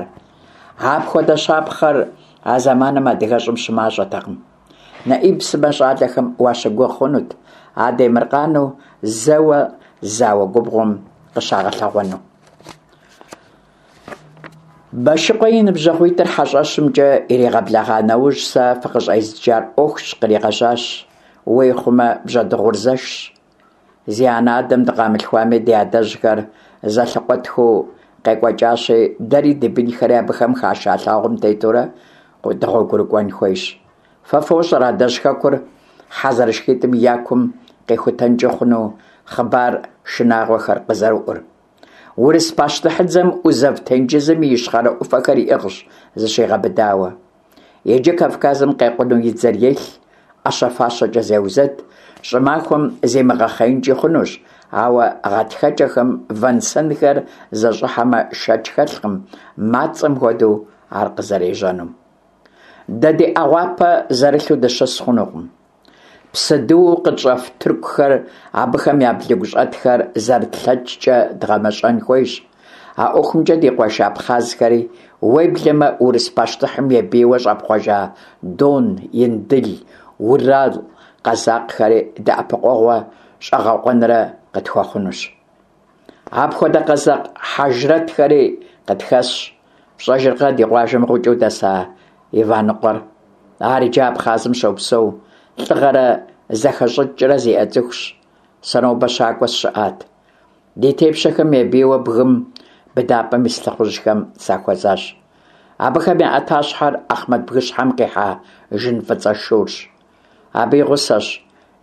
Апхуэдэ щапхъэр а зэманым адыгэщӏым щымащӏэтэкъым. Нэӏиб сымэ щӏалэхэм уащыгугъ хъунут адемыркъану зэуэ зауэ губгъуэм къыщагъэлъэгъуэну. Бэшыкъуэ и ныбжьэгъуитӏыр хьэщӏэщымкӏэ иригъэблэгъа нэужь, сэ фыкъыщӏезджар ӏуэхущ, къригъэжьащ. Уей хъумэ, бжьэдыгъур зэшщ. Зи анэ-адэм дыкъамылъхуами, ди адэжьхэр зэлъыкъуэтхэу къекӏуэкӏащи, дэри ди бынхэри абыхэм хаша лъагъуэм тетурэ дыгъуэгурыкӏуэн хуейщ. Фэ фощӏэр адэжь хэкур хьэ зэрышхитӏым я кум къихутэнкӏэ хъуну хъыбар шынагъуэхэр къызэрыӏур. Урыс пащтыхьыдзэм ӏузэв тенджызым и ищхъэрэ ӏуфэхэр иӏыгъщ зыщигъэбыдауэ. Иджы Кавказым къекъуну и дзэр елъ, ӏэщэ-фащэкӏэ зеузэд, щӏымахуэм зимыгъэхъеинкӏи хъунущ, ауэ гъатхэкӏэхэм вэн-сэнхэр зэщӏыхьэмэ, шэч хэлъкъым, мацӏэм хуэдэу ар къызэрежьэнум. Дэ ди ӏэгъуапэ зэрылъу дыщыс хъунукъым. Псыдыуэу къытщӏэф тыркухэр, абыхэм я блыгущӏэтхэр зэрытлъэкӏкӏэ дгъэмэщӏэн хуейщ. А ӏуэхумкӏэ ди къуэш абхъазхэри, уеблэмэ урыс пащтыхьым ебийуэ щӏэпхъуэжа Дон, Индыл, Урал къэзакъхэри дэӏэпыкъуэгъурэ щӏэгъэкъуэнрэ къытхуэхъунущ. Апхуэдэ къэзакъ хьэжрэтхэри къытхэсщ. Фщӏэжыркъэ ди къуажэм гъукӏэу дэса Иваныкъуэр? Ар иджы Абхъазым щопсэу, лӏыгъэрэ зэхэщӏыкӏрэ зиӏэ цӏыхущ. Сэ нобэ щакӏуэ сыщыӏат. Ди тепщэхэм ебийуэ бгым быдапӏэм ис лӏыхъужьхэм сахуэзащ. Абыхэм я ӏэтащхьэр Ахъмэт бгыщхьэм къихьа жын фӏыцӏэ шурщ. Абы и гъусэщ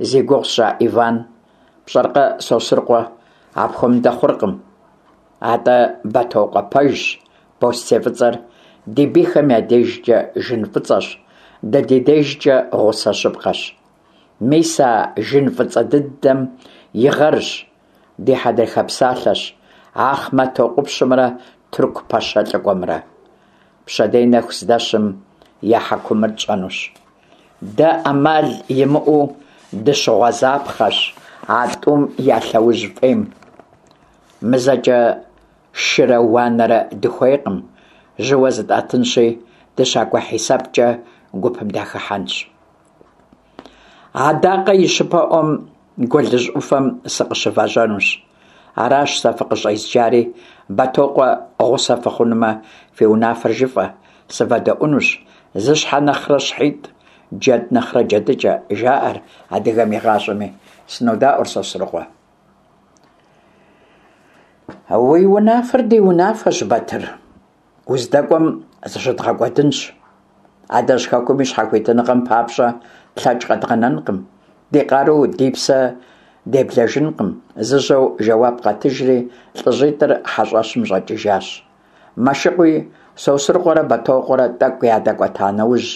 зи гугъу сщӏа Иван. Пщӏэркъэ, Сосрыкъуэ, апхуэмыдэ хъуркъым. Атӏэ Бэтокъуэ пэжщ, бостей фӏыцӏэр ди бийхэм я дежкӏэ жын фӏыцӏэщ, дэ ди дежкӏэ гъусэ щыпкъэщ. Мис а жын фӏыцӏэ дыдэм и гъэрщ, ди хьэдрыхэ псалъэщ Ахъмэтокъупщымрэ тырку пэщэ лӏыкӏуэмрэ. Пщэдей нэху здэщым я хьэкумыр тщӏэнущ. Дэ ӏэмал имыӏэу дыщыгъуэзапхъэщ а тӏум я лъэужь фӏейм. Мызэкӏэ шырэ уанэрэ дыхуейкъым, жьыуэ зытӏэтынщи, дыщакӏуэ хьисэпкӏэ гупым дахыхьэнщ. Адакъэ и щыпэӏуэм гуэлыжь ӏуфэм сыкъыщывэжьэнущ. Аращ сэ фыкъыщӏезджари, Бэтокъуэ гъусэ фыхъунумэ, фи унафэр жыфӏэ, сывэдэӏуэнущ. Зы щхьэ нэхърэ щхьитӏ, джэд нэхърэ джэдыкӏэ, жаӏэр адыгэм игъащӏэми. Сынодаӏуэр, Сосрыкъуэ. Уи унафэр ди унафэщ, Батыр. Уздэкӏуэм зыщыдгъэкӏуэдынщ. Адэжь хэкум и щхьэхуитыныгъэм папщӏэ тлъэкӏ къэдгъэнэнкъым, ди къару, ди псэ деблэжынкъым. Зыжьэу жэуап къатыжри, лӏыжьитӏыр хьэщӏэщым щӏэкӏыжащ. Мэшыкъуи Сосрыкъуэрэ Бэтокъуэрэ тӏэкӏу ядэкӏуэта нэужь,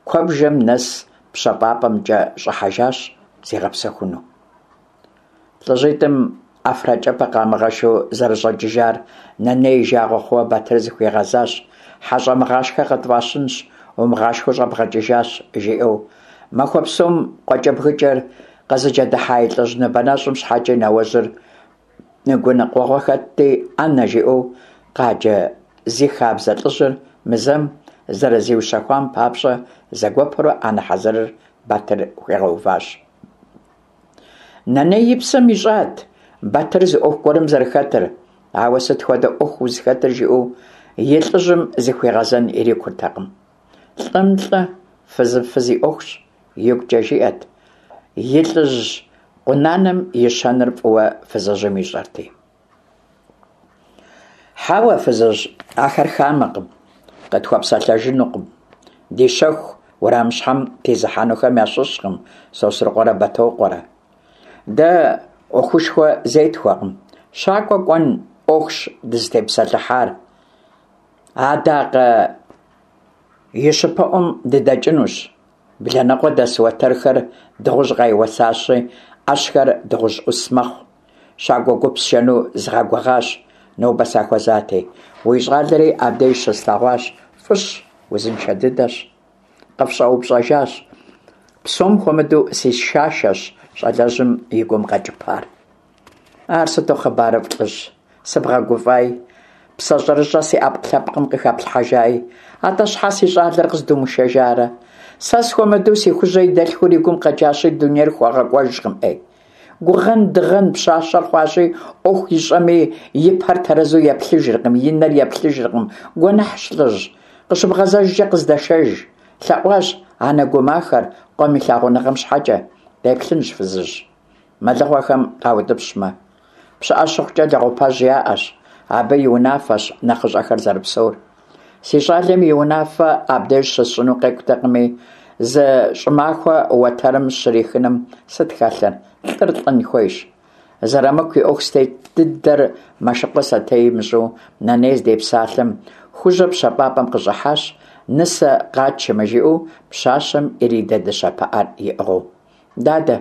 куэбжэм нэс пщэфӏапӏэмкӏэ щӏыхьэжащ зигъэпсэхуну. Лӏыжьитӏым ӏэфракӏэпэ къамыгъэшу зэрыщӏэкӏыжар Нэней и жагъуэ хъууэ Батыр зыхуигъэзащ: «Хьэщӏэмыгъашхэ къытфӏащынщ, умыгъашхэу щӏэбгъэкӏыжащ», жиӏэу. Махуэ псом къуакӏэбгыкӏэр къызыкӏэдыхьа и лӏыжь ныбэнэщӏым щхьэкӏи нэуэжьыр гуныкъуэгъуэ хэтти, ӏэнэ жиӏэу къаджэ зи хабзэ лӏыжьыр мы зэм зэрызиущэхуам папщӏэ зэгуэпурэ ӏэнэ хьэзырыр Батыр хуигъэуващ. Нэней и псэм ищӏат Батыр зы ӏуэху гуэрым зэрыхэтыр, ауэ сыт хуэдэ ӏуэху узыхэтыр жиӏэу и лӏыжьым зыхуигъэзэн ирикуртэкъым. Лӏым лӏы, фызым фыз и ӏуэхущ, игукӏэ жиӏэт. И лӏыжь къунаным и щэныр фӏыуэ фызыжьым ищӏэрти. Хьэуэ, фызыжь, ахэр хамэкъым, къытхуэпсэлъэжынукъым. Ди щэху уэрамыщхьэм тезыхьэнухэм ящыщкъым Сосрыкъуэрэ Бэтокъуэрэ. Дэ ӏуэхушхуэ зетхуэкъым, щакӏуэ кӏуэн ӏуэхущ дызытепсэлъыхьар. Адакъэ и щыпэӏуэм дыдэкӏынущ. Бланэкъуэ дэс уэтэрхэр дыгъужь къайуэсащи, ӏэщхэр дыгъужь ӏус мэхъу. Щакӏуэ гуп сшэну згъэгугъащ, нобэ сахуэзати. Уи щӏалэри абдеж щыслъэгъуащ, фӏыщ, узыншэ дыдэщ. Къыфщӏэупщӏэжащ. Псом хуэмыдэу си шашэщ щӏалэжьым и гум къэкӏыпар. Ар сыту хъыбарыфӏ, лӏыжь, сыбгъэгуфӏай. Псэ щӀэрыщӀэ си Ӏэпкълъэпкъым къыхэплъхьэжаи. АтӀэ щхьэ си щӀалэр къыздумышэжарэ? Сэ схуэмыдэу си Хужьэ и дэлъхур и гум къэкӀащи, дунейр хуэгъэкӀуэжкъым, Ӏей. Гугъэн-дыгъэн пщащэр хъуащи, Ӏуэху ищӀэми и пэр тэрэзу еплъыжыркъым, и нэр еплъыжыркъым. Гуэныхьщ, лӀыжь, къыщыбгъэзэжкӀэ къыздэшэж, – лъэӀуащ анэ гумахэр къуэм и лъагъуныгъэм щхьэкӀэ. Деплъынщ, фызыжь, мэлыхъуэхэм къаутӀыпщмэ. ПщыӀэ щыхъукӀэ, лэгъупэжь яӀэщ, абы и унафэщ нэхъыщӀэхэр зэрыпсэур. Си щӀалэм и унафэ абдеж щысщӀыну къекӀутэкъыми, зы щӀымахуэ уэтэрым щрихыным сыт хэлъыр, лӀыр лӀын хуейщ. Зэрамыку и Ӏуэху зытет дыдэр Мэшыкъуэ сэтей имыщӀу Нэней здепсалъэм, Хужьэ пщэфӀапӀэм къыщӀыхьащ, нысэ къатшэмэ жиӀэу пщащэм иридэ дыщэ пыӀэр иӀыгъыу. Дадэ,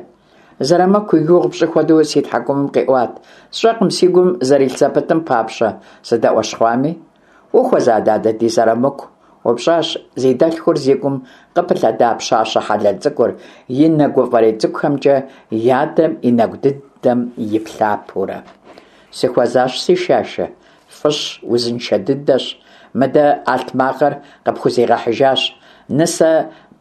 Зэрамыку и гугъу пщӀы хуэдэу си тхьэкӀумэм къиӀуат. СщӀэкъым си гум зэрилъ зэпытым папщӀэ сыдэӀуэщхъуами. Ухуэза, дадэ, ди Зэрамыку? упщӀащ зи дэлъхур зи гум къыпылъэда пщащэ хьэлэл цӀыкӀур, и нэ гуфӀэрей цӀыкӀухэмкӀэ и адэм и нэгу дыдэм иплъапэурэ. Сыхуэзащ, си шашэ. ФӀыщ, узыншэ дыдэщ. Мыдэ алътмакъыр къыпхузигъэхьыжащ. Нысэ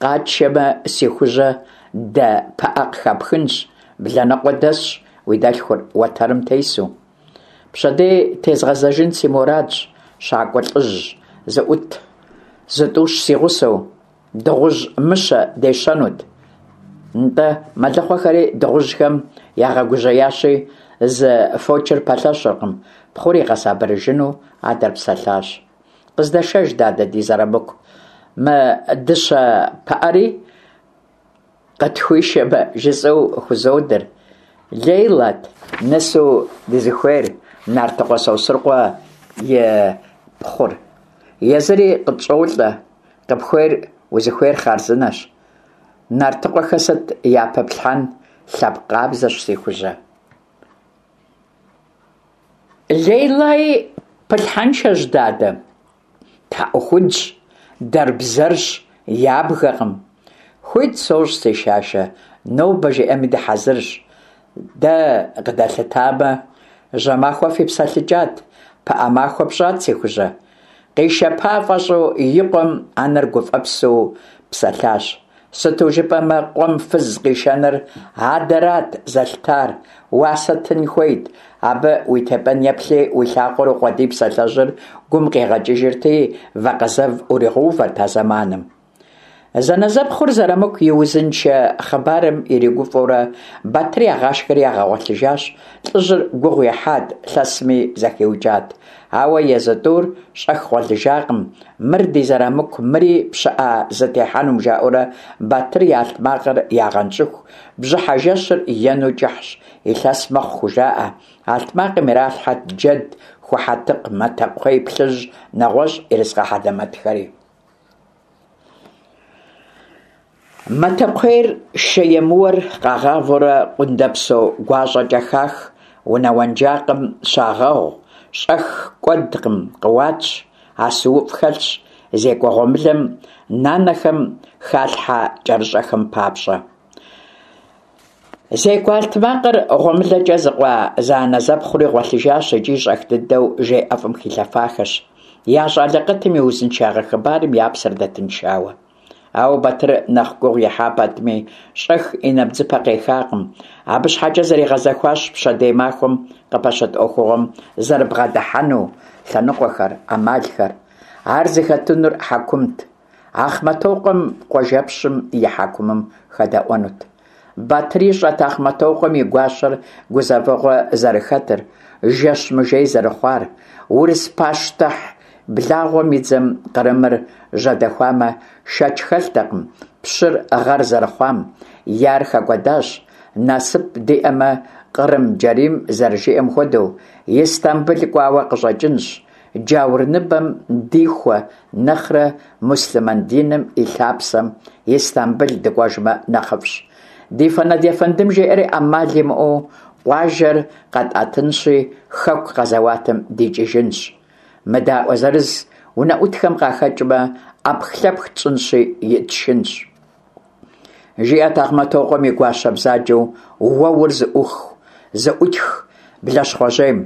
къатшэмэ, си Хужьэ дэ пыӀэ къыхэпхынщ. Блэныкъуэ дэсщ уи дэлъхур, уэтэрым тесу. Пщэдей тезгъэзэжын си мурадщ, щакӀуэ лӀыжь зыӀут зытӀущ си гъусэу, дыгъужь мыщэ дещэнут. НтӀэ, мэлыхъуэхэри дыгъужьхэм ягъэгужьеящи, зы фочыр пэлъэщыркъым, пхъур игъэсабырыжыну адэр псэлъащ. Къыздэшэж, дадэ, ди Зэрамыку, мы дыщэ пыӀэри къытхуишэмэ жысӀэу хузодыр. Лейлэт нысэу дызыхуейр, Нартыкъуэ Сосрыкъуэ и пхъур. Езыри къытщӀолӀэ, къыпхуейр узыхуейр хъарзынэщ. Нартыкъуэхэ сыт япыплъхьэн, лъэпкъ къабзэщ, си Хужьэ. Лейлаи пылъхьэншэщ, дадэ. ТхьэӀухудщ, дэрбзэрщ, ябгэкъым. Хуит сощӀ, си шашэ, нобэ жиӀэми дыхьэзырщ. Дэ къыдэлъытамэ, жьэмахуэ фипсэлъыкӀат, пыӀэ махуэ пщӀат, си Хужьэ. Къишэпа фӀэщӀу и къуэм анэр гуфӀэпсу псэлъащ. Сыту жыпӀэмэ, къуэм фыз къишэныр адэрат зэлъытар, уасэ тын хуейт. Абы уи тепӀэн еплъи, уи лъакъуэр укъуэдий псалъэжьыр гум къигъэкӀыжырти, вакъэзэв уригъэувэрт а зэманым. Зэнэзэпхъур Зэрамыку и узыншэ хъыбарым иригуфӀэурэ Батыр ягъашхэри ягъэгъуэлъыжащ. ЛӀыжьыр гугъу ехьат, лъэсми зэхиукӀат. Ауэ езы тӀур щӀэх гъуэлъыжакъым. Мыр ди Зэрамыку, мыри пщыӀэ зытехьэнум, жаӀэурэ Батыр и алътмакъыр ягъэнщӀыху, бжьыхьэ жэщыр ену кӀыхьщ, илъэс мэхъу хужаӀэ. Алътмакъым иралъхьэрт джэд, ху хьэтыкъ, матэ кхъуей плъыжь, нэгъуэщӀ ерыскъы хьэлэмэтхэри. Матэкхъуейр, шэ емыуэр къагъавэурэ къундэпсо гуащӀэкӀэ хах, унэ уэнжакъым щагъэгъу, щӀэх кӀуэдкъым, къэуатщ, асууфӀ хэлъщ, зекӀуэ гъуэмылэм нанэхэм халъхьэ кӀэрыщӀэхэм папщӀэ. ЗекӀуэ алътмакъыр гъуэмылэкӀэ зыкъуа зэанэзэпхъури гъуэлъыжащ икӀи щӀэх дыдэу жей ӀэфӀым хилъэфахэщ, я щӀалэ къытым и узыншагъэ хъыбарым я псэр дэтыншауэ. Ауэ Батыр нэхъ гугъу ехьа пэтми, щӀэх и нэбдзыпэ къехакъым. Абы щхьэкӀэ зэригъэзэхуащ пщэдей махуэм къыпэщыт Ӏуэхугъуэм зэрыбгъэдыхьэну лъэныкъуэхэр, Ӏэмалхэр. Ар зыхэтынур хьэкумт. Ахъмэтокъуэм къуажэпщым и хьэкумым хэдэӀуэнут. Батыр ищӀэрт Ахъмэтокъуэм и гуащэр гузэвэгъуэ зэрыхэтыр, жэщ мыжей зэрыхъуар. Урыс пащтыхь благъуэм и дзэм Кърымыр жьэдэхуамэ, шэч хэлътэкъым пщыр гъэр зэрыхъуам, е ар хэкӀуэдащ, насып диӀэмэ, Кърым-Джэрийм зэрыжиӀэм хуэдэу, Истамбыл кӀуауэ къыщӀэкӀынщ, джаур ныбэм дихуэ нэхърэ муслъымэн диным и лъапсэм Истамбыл дыкӀуэжмэ нэхъыфӀщ. Ди Фэнэд ефэндым жеӀэри Ӏэмал имыӀэу къуажэр къэтӀэтынщи, хэку къэзэуатым дикӀыжынщ. МыдаӀуэ зырыз унэӀутхэм къахэкӀмэ, Ӏэпхлъэпх тщӀынщи итшынщ. ЖиӀэрт Ахъмэтокъуэм и гуащэ бзаджэу уэур зыӀуху зыӀутх блащхъуэжьейм.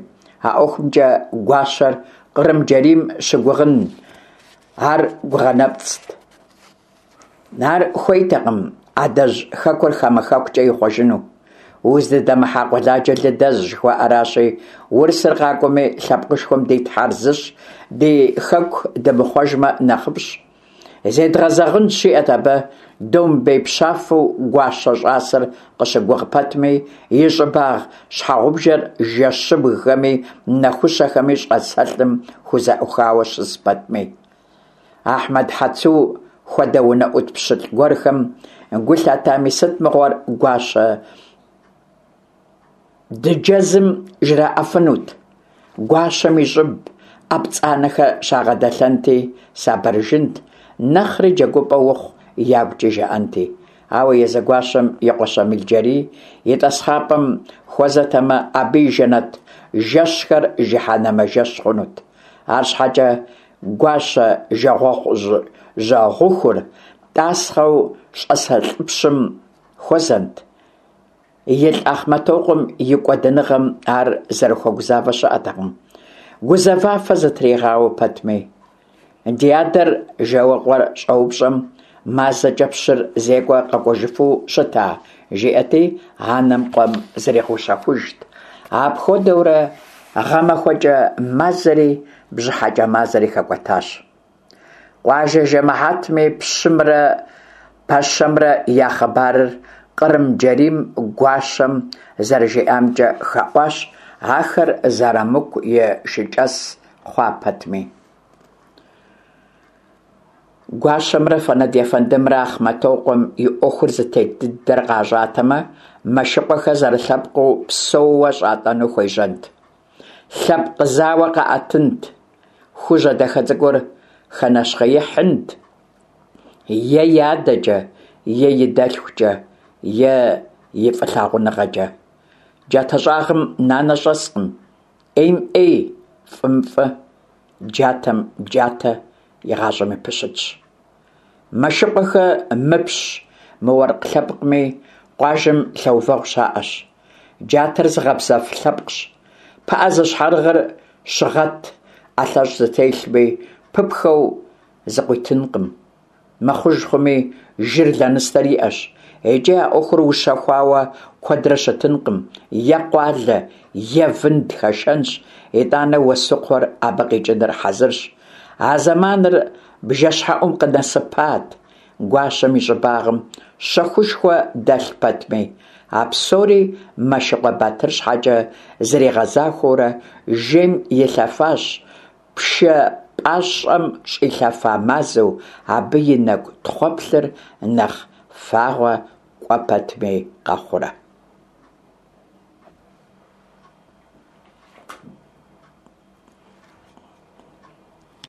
А ӀуэхумкӀэ гуащэр Кърым-Джэрийм щыгугъын ар гугъэ нэпцӀт. Ар хуейтэкъым адэжь хэкур хамэ хэкукӀэ ихъуэжыну. Уздыдэмыхьа къуэладжэ лы дэзщ, жыхуаӀэращи, урысыр къакӀуэми, лъэпкъышхуэм ди тхьэр зыщ, ди хэку дымыхъуэжмэ нэхъыфӀщ. Зедгъэзэгъынщ, жиӀэрт абы, домбей пщафэу гуащэ щӀасэр къыщыгугъ пэтми, и щӀыбагъ щхьэгъубжэр жэщыбгхэми нэхущэхэми щӀасэлӀым хузэӀухауэ щыс пэтми. Ахьмэд Хьэцу хуэдэ унэӀут пщылӀ гуэрхэм гу лъатами, сыт мыгъуэр гуащэ дыджэзым жраӀэфынут. Гуащэм и щӀыб Ӏэ пцӀанэхэр щагъэдэлъэнти, сабырыжынт, нэхъри джэгупӀэ ухъу ягукӀи жаӀэнти. Ауэ езы гуащэм и къуэ Щамил-Джэрий и тӀасхъапӀэм хуэзэтэмэ, абы и жэнэт жэщхэр жыхьэнэмэ жэщ хъунут. АрщхьэкӀэ гуащэ жагъуэгъу-жьэгъухур тӀасхъэу щӀасэлӀыпщым хуэзэнт. ИлӀ Ахъмэтокъуэм и кӀуэдыныгъэм ар зэрыхуэгузавэ щыӀэтэкъым, гузэвафэ зытригъауэ пэтми. Ди адэр, жэуэ къуэр щӀэупщӀэм, мазэкӀэ пщыр зекӀуэ къэкӀуэжыфу щыта, жиӀэрти, анэм къуэм зригъэущэхужт. Апхуэдэурэ гъэмахуэкӀэ мазэри бжьыхьэкӀэ мазэри хэкӀуэтащ. Къуажэ жэмыхьэтми пщымрэ пэщэмрэ я хъыбарыр Кърым-Джэрийм гуащэм зэрыжиӀамкӀэ хэӀуащ, ахэр Зэрамыку и шыкӀэс хъуа пэтми. Гуащэмрэ Фэнэд ефэндымрэ Ахъмэтокъуэм и Ӏуэхур зытет дыдэр къащӀатэмэ, Мэшыкъуэхэ зэрылъэпкъыу псэууэ щӀатӀэну хуежьэнт. Лъэпкъ зауэ къаӀэтынт, Хужьэ дахэ цӀыкӀур хэнэщхъеихьынт е и адэкӀэ, е и дэлъхукӀэ, е и фӀылъагъуныгъэкӀэ. Джатэ щӀагъым нанэ щӀэскъым. Ӏейм Ӏей, фӀым фӀы, джатэм джатэ игъащӀэми пыщытщ. Мэшыкъуэхэ мыпщ, мыуэркъ лъэпкъми, къуажэм лъэувэгъу щаӀэщ. Джатэр зыгъэбзэф лъэпкъщ. ПыӀэ зыщхьэрыгъыр щыгъэт, ӀэлъэщӀ зытелъми, пыпхэу зыкъуитынкъым. Мыхъуж хъуми, жыр лэныстэр иӀэщ. ИкӀи а Ӏуэхур ущэхуауэ куэдрэ щытынкъым, е къуалэ, е вынд хэшэнщ, итӀанэ уэсукхъуэр абы къикӀыныр хьэзырщ. А зэманыр бжэщхьэӀум къынэсыпат, гуащэм и щӀыбагъым щэхушхуэ дэлъ пэтми. А псори Мэшыкъуэ Батыр щхьэкӀэ зэригъэзахуэурэ жейм илъэфащ, пшэ пӀащӀэм щӀилъэфа мазэу, абы и нэкӀу тхъуэплъыр нэхъ фагъуэ кӀуэ пэтми къэхъуурэ.